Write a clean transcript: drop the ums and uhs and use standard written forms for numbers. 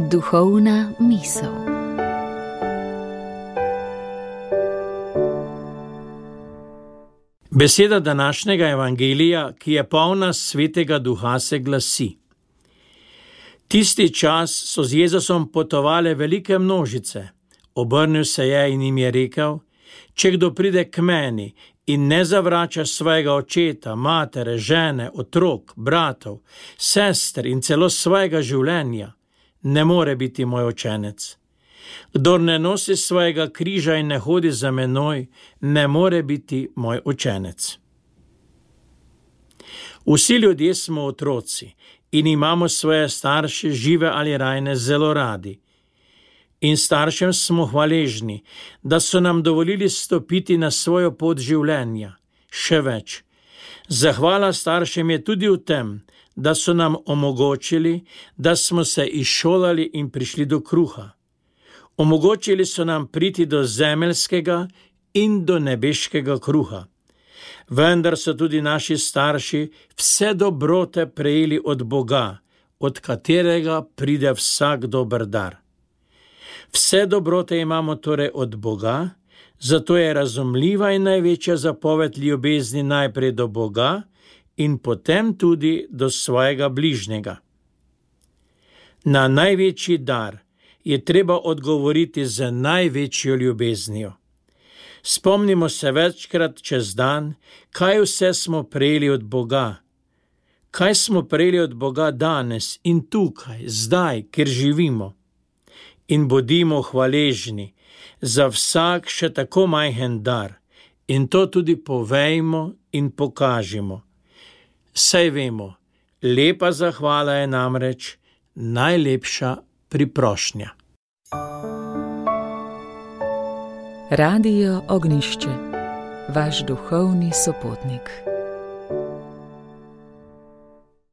Duhovna misel. Beseda današnjega evangelija, ki je polna Svetega Duha, se glasi: Tisti čas so z Jezusom potovale velike množice. Obrnil se je in jim je rekel: Če kdo pride k meni in ne zavrača svojega očeta, matere, žene, otrok, bratov, sester in celo svojega življenja, ne more biti moj učenec. Kdor ne nosi svojega križa in ne hodi za menoj, ne more biti moj učenec. Vsi ljudje smo otroci in imamo svoje starše, žive ali rajne, zelo radi. In staršem smo hvaležni, da so nam dovolili stopiti na svojo pot življenja. Še več, zahvala staršem je tudi v tem, da so nam omogočili, da smo se izšolali in prišli do kruha. Omogočili so nam priti do zemeljskega in do nebeškega kruha. Vendar so tudi naši starši vse dobrote prejeli od Boga, od katerega pride vsak dober dar. Vse dobrote imamo torej od Boga, zato je razumljiva in največja zapoved ljubezni najprej do Boga in potem tudi do svojega bližnjega. Na največji dar je treba odgovoriti z največjo ljubeznijo. Spomnimo se večkrat čez dan, kaj vse smo prejeli od Boga. Kaj smo prejeli od Boga danes in tukaj, zdaj, kjer živimo. In bodimo hvaležni za vsak še tako majhen dar in to tudi povejmo in pokažimo. Saj vemo, lepa zahvala je namreč najlepša priprošnja. Radio Ognjišče, vaš duhovni sopotnik.